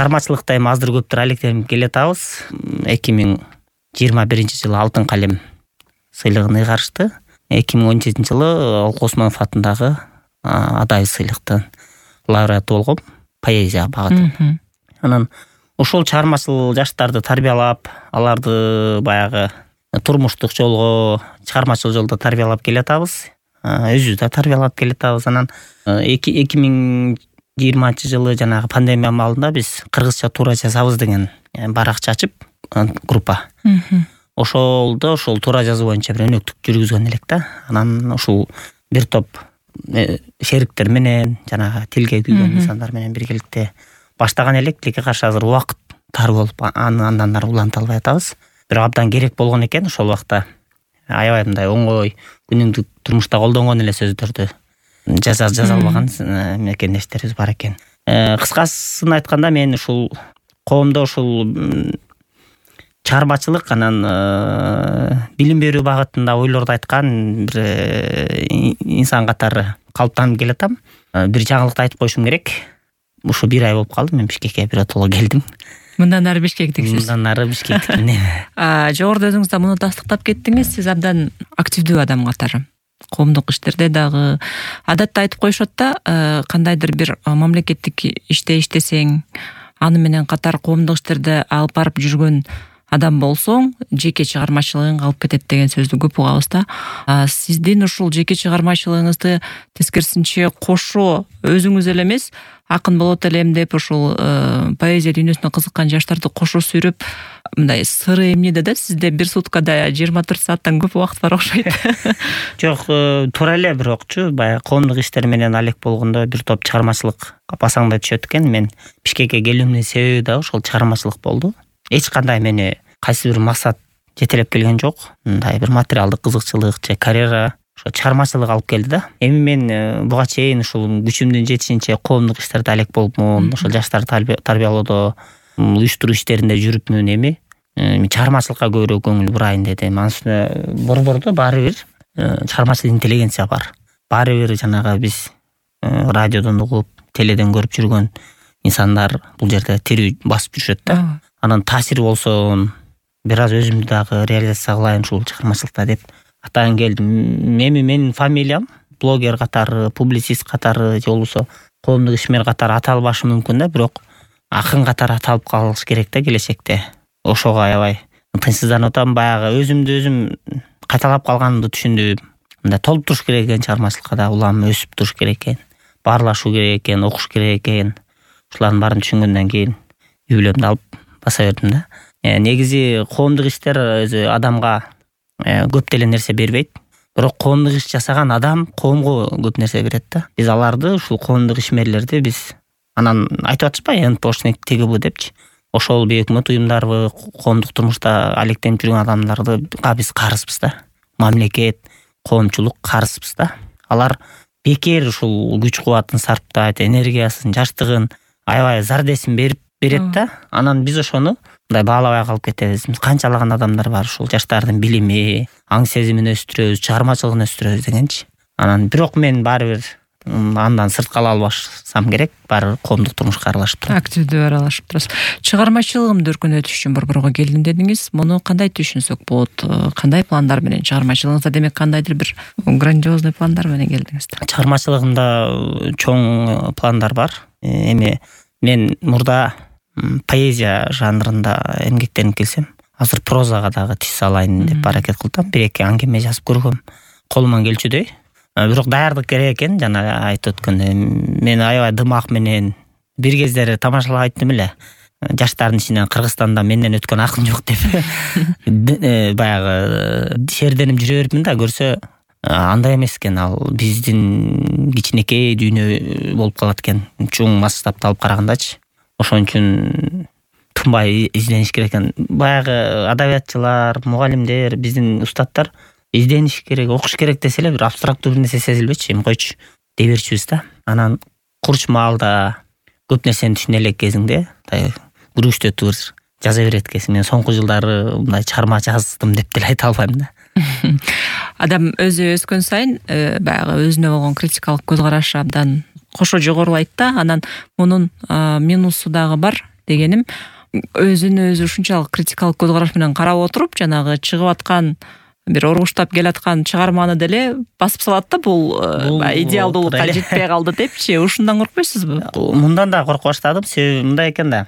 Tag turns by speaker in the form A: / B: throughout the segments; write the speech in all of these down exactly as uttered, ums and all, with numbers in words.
A: чыгармачылыкта эми аздыр көптүр алектенип келатабыз. эки миң жыйырма биринчи жылы алтын калем сыйлыгын ыйгарышты. эки миң он жетинчи жылы Олку Осмонов атындагы Адай сыйлыктын лауреаты болгом, поэзия багытын. Анан ошол чыгармачыл жаштарды тарбиялап, аларды баягы турмуштук жолго, чыгармачыл жолдо тарбиялап келатабыз. Өзүбүз да тарбиялап келатабыз. Анан эки миң жыйырманчы жылы жанагы пандемия маалында биз кыргызча туура жазабыз деген баракча ачып, группа. Ошолдо ошол туура жазуу боюнча бир өнөктүк жүргүзгөн элек да. Анан ушул бир топ шериктер менен, жанагы тилге күйгөн инсандар менен биргеликте баштаган элек, тилекке каршы азыр убакыт тар болуп, андан ары уланта албай атабыз. Бирок абдан керек болгон экен ошол убакта. Аябай мындай оңой, күнүмдүк турмушта колдонгон эле сөздөрдү жаза жаза албаган мекендештерибиз бар экен. Кыскасын айтканда, мен ушул коомдо ушул чыгармачылык анан билим берүү багытында ойлорду айткан бир инсан катары калыптанып келатам. Бир жаңылыкты айтып коюшум керек. Ушу бир ай болуп калды, мен Бишкекке биротоло келдим.
B: Мындан ары Бишкектиксиз.
A: Мындан ары Бишкектикмин.
B: Жогоруда өзүңүз да муну тастыктап кеттиңиз. Сиз абдан активдүү адам катары. Коомдук иштерде дагы адатта айтып коюшат да, кандайдыр бир мамлекеттик иште иштесең, аны менен катар коомдук иштерде алып барып жүргөн адам болсоң, жеке чыгармачылыгың калып кетет деген сөздү көп угабыз да. Сиздин ушул жеке чыгармачылыгыңызды тескерисинче кошо өзүңүз эле эмес, акын болот элем деп ушул поэзия дүйнөсүнө кызыккан жаштарды кошо сүйрөп, мындай сыры эмнеде да, сизде бир суткада жыйырма төрт сааттан көп убакыт бар окшойт.
A: Жок, туура эле, бирокчу баягы коомдук иштер менен алек болгондо бир топ чыгармачылык басаңдай түшөт экен. Мен Бишкекке келүүмдүн себеби да ошол чыгармачылык болду. Эч кандай мени кайсы бир максат жетелеп келген жок. Мындай бир материалдык кызыкчылык же карьера, ошо чыгармачылык алып келди да. Эми мен буга чейин ушул күчүмдүн жетишинче коомдук иштерде алек болупмун, ошол жаштарды тарбиялоодо, уюштуруу иштеринде жүрүпмүн. Эми чыгармачылыкка көбүрөөк көңүл бурайын дедим. Анын үстүнө борбордо баары бир чыгармачыл интеллигенция бар. Баары бир жанагы биз радиодон угуп, теледен көрүп жүргөн инсандар бул жерде тирүү басып жүрүшөт да. Анан таасир болсун, бир аз өзүмдү дагы реализация кылайын ушул чыгармачылыкта деп атайын келдим. Эми менин фамилиям блогер катары, публицист катары, же болбосо коомдук ишмер катары аталбашы мүмкүн да, бирок акын катары аталып калыш керек да келечекте. Ошого аябай тынчсызданып атам. Баягы өзүмдү өзүм кайталап калганымды түшүндүм. Мындай толуп туруш керек экен, чыгармачылыкка да улам өсүп туруш керек экен, баарлашуу керек экен, окуш керек экен. Ушулардын баарын түшүнгөндөн кийин үй бүлөмдү алып баса бердим да. Негизи коомдук иштер өзү адамга көп деле нерсе бербейт. Бирок коомдук иш жасаган адам коомго көп нерсе берет да. Биз аларды, ушул коомдук ишмерлерди биз анан айтып атышпайбы, НПОшник тиги бу депчи. Ошол бейөкмөт уюмдарбы, коомдук турмушта алектенип жүргөн адамдарды биз карызбыз да. Мамлекет, коомчулук карызбыз да. Алар бекер ушул күч кубатын сарптайт, энергиясын, жаштыгын, аябай зардесин берип берет да. Анан биз ошону мындай баалабай калып кетебиз. Канчалаган адамдар бар ушул жаштардын билими, аң сезимин өстүрөбүз, чыгармачылыгын өстүрөбүз дегенчи. Анан бирок мен баары бир андан сырт кала албашсам керек, баары коомдук турмушка аралашып турам.
B: Активдүү аралашып турасыз. Чыгармачылыгымды өркүндөтүш үчүн борборго келдим дедиңиз. Муну кандай түшүнсөк болот? Кандай пландар менен чыгармачылыгыңызда, демек кандайдыр бир грандиозный пландар менен келдиңиз да?
A: Чыгармачылыгымда чоң пландар бар. Эми мен мурда поэзия жанрында эмгектенип келсем, азыр прозага дагы тиз салайын деп аракет кылдым. Бир-эки аңгеме жазып көргөм, колуман келчүдөй. Бирок даярдык керек экен, жана айтып өткөндөй. Мен аябай дымак менен бир кездери тамашалап айттым эле. Жаштардын ичинен Кыргызстанда менден өткөн акын жок деп. Баягы шерденип жүрө берипмин да, көрсө андай эмес экен, ал биздин кичинекей дүйнө болуп калат экен, чоң масштабты алып карагандачы. Ошон үчүн тынбай издениш керек экен. Баягы адабиятчылар, мугалимдер, биздин устаттар издениш керек, окуш керек десе эле бир абстрактуу бир нерсе сезилбечи, эми койчу дей берчүбүз да. Анан курч маалда көп нерсени түшүнө элек кезиңде күрүштөтүп бир жаза берет экенсиң. Мен соңку жылдары мындай чыгарма жаздым деп деле айта албайм да.
B: Адам өзү өскөн сайын баягы өзүнө болгон критикалык көз карашы абдан кошо жогорулайт да. Анан мунун минусу дагы бар. дегеним өзүн өзү ушунчалык критикалык көз караш менен карап отуруп жанагы чыгып аткан бир ургуштап келаткан чыгарманы деле басып салат да, бул идеалдуулукка жетпей калды депчи. Ушундан коркпойсузбу?
A: Мындан да корко баштадым. Себеби мындай экен да,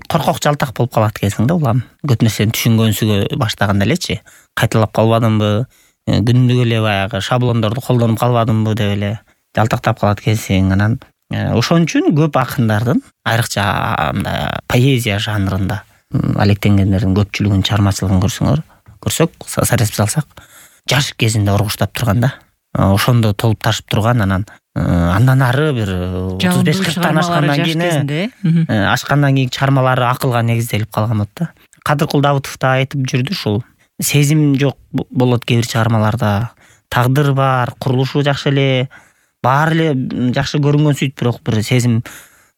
A: коркок жалтак болуп калат экенсиң да улам. Көп нерсени түшүнгөнсүгө баштаганда элечи, кайталап калбадымбы, күнүгө эле баягы шаблондорду колдонуп калбадымбы деп эле жалтактап калат экенсиң. Анан ошон үчүн көп акындардын, айрыкча поэзия жанрында алектенгендердин көпчүлүгүнүн чыгармачылыгын көрсөңөр, көрсөк, сарасып салсак, жаш кезинде ургуштап турган да. Ошондо толуп ташып турган, анан андан ары бир отуз беш кырктан ашкандан кийин ашкандан кийинки чыгармалары акылга негизделип калган болот да. Кадыркул Давытов да айтып жүрдү ушул. Сезим жок болот кээ бир чыгармаларда. Тагдыр бар, курулушу жакшы эле, баары эле жакшы көрүнгөн сөйт, бирок бир сезим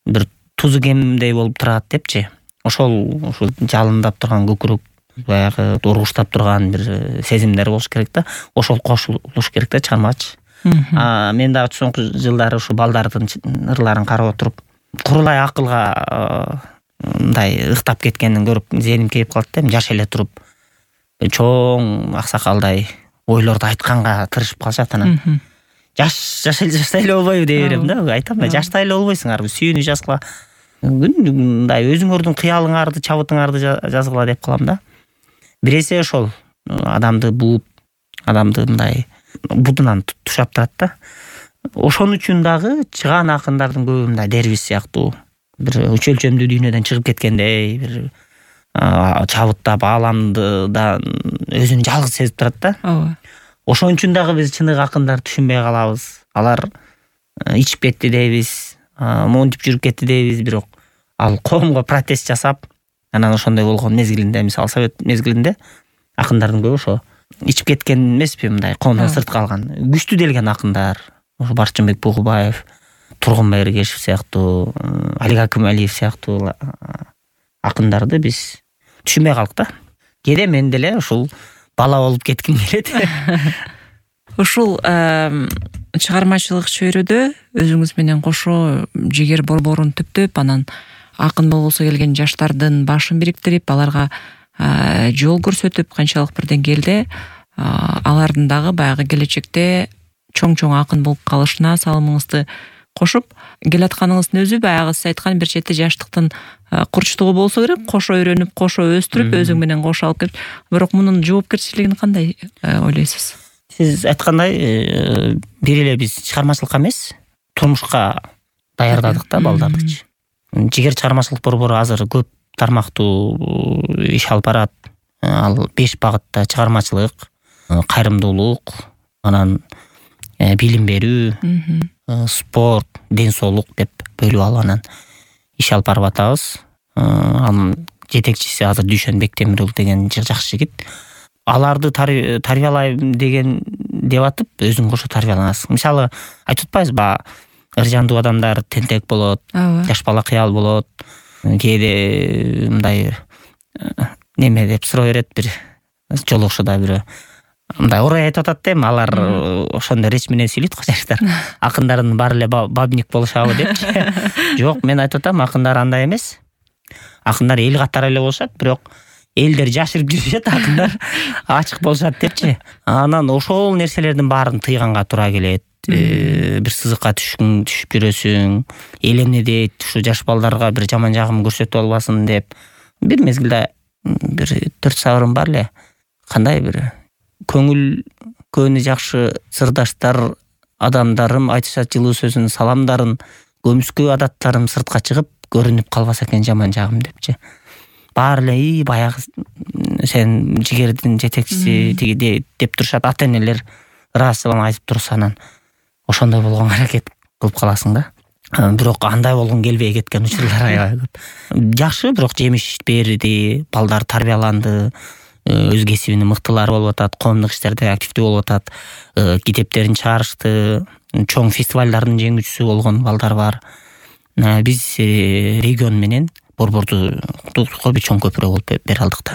A: бир тузу кемдей болуп турат депчи. Ошол ушул жалындап турган көкүрөк баягы ургуштап турган бир сезимдер болуш керек да. Ошол кошулуш керек да чыгармачы. А мен дагы соңку жылдары ушу балдардын ырларын карап отуруп, курулай акылга мындай ыктап кеткенин көрүп зээним кейип калат да. Жаш эле туруп чоң аксакалдай ойлорду айтканга тырышып калышат. Анан жаш жаш эле жаштай эле болбойбу дей берем да. Айтам да, жаштай эле болбойсуңарбы, сүйүүнү жазгыла, мындай өзүңөрдүн кыялыңарды, чабытыңарды жазгыла деп калам да. Бир эсе ошол адамды бууп, адамды мындай будунан тушап турат да. Ошон үчүн дагы чыган акындардын көбү мындай Дербиш сыяктуу бир үч өлчөмдүү дүйнөдөн чыгып кеткендей, бир чабыттап ааламды да өзүн жалгыз сезип турат да.
B: Ооба.
A: Ошон үчүн дагы биз чыныгы акындарды түшүнбөй калабыз. Алар ичип кетти дейбиз, монтип жүрүп кетти дейбиз, бирок ал коомго протест жасап, анан ошондой болгон мезгилинде, мисалы Совет мезгилинде акындардын көбү ошо ичип кеткен эмеспи, мындай коомдон сырт калган, күчтүү делген акындар. Ошо Барчынбек Бугубаев, Тургунбай Эргешев сыяктуу, Алик Акималиев сыяктуу акындарды биз түшүнбөй калдык да. Кээде мен деле ушул бала болуп кетким келет.
B: Ушул чыгармачылык чөйрөдө өзүңүз менен кошо жигер борборун түптөп, анан акын болгусу келген жаштардын башын бириктирип, аларга жол көрсөтүп, канчалык бир деңгээлде алардын дагы баягы келечекте чоң-чоң акын болуп калышына салымыңызды кошуп, келатканыңыздын өзү баягы сиз айткан бир чети жаштыктын курчтугу болсо керек, кошо үйрөнүп, кошо өстүрүп, өзүң менен кошо алып келип, бирок мунун жоопкерчилигин кандай ойлойсуз?
A: Сиз айткандай, бир эле биз чыгармачылыкка эмес, турмушка даярдадык да балдардычы. Жигер чыгармачылык борбору азыр көп тармактуу иш алып барат. Ал беш багытта: чыгармачылык, кайрымдуулук, анан билим берүү, спорт, ден соолук деп бөлүп алып анан иш алып барып атабыз. Анын жетекчиси азыр Дүйшөн Бектемирұлы деген жакшы жигит. Аларды тарбиялайм деген деп атып, өзүң кошо тарбияланасың. Мисалы, айтып атпайбызбы, ыржандуу адамдар тентек болот, жаш бала кыял болот. Кээде мындай неме деп суроо берет, бир жолугушуда бирөө мындай орой айтып атат дейм, алар ошондой реч менен сүйлөйт го жаштар. Акындардын баары эле бабник болушабы депчи. Жок, мен айтып атам, акындар андай эмес. Акындар эл катары эле болушат, бирок элдер жашырып жүрүшөт, акындар ачык болушат депчи. Анан ошол нерселердин баарын тыйганга туура келет. Бир сызыкка түшүп жүрөсүң, эл эмне дейт, ушу жаш балдарга бир жаман жагым көрсөтүп албасын деп. Бир мезгилде бир төрт сабырым бар эле. Кандай бир көңүл көөнү жакшы сырдаштар, адамдарым айтышат жылуу сөзүн, саламдарын, көмүскө адаттарым сыртка чыгып көрүнүп калбаса экен жаман жагым депчи. Баары эле и баягы сен жигердин жетекчиси тиги деп турушат, ата энелер ыраазычылыгын айтып турса, анан ошондой болгонго аракет кылып каласың да. Бирок андай болгон келбей кеткен учурлар аябай көп. Жакшы, бирок жемиш берди, балдар тарбияланды, өз кесибинин мыктылары болуп атат, коомдук иштерде активдүү болуп атат, китептерин чыгарышты, чоң фестивалдардын жеңүүчүсү болгон балдар бар. Биз регион менен борборду чоң көпүрө болуп бере алдык да.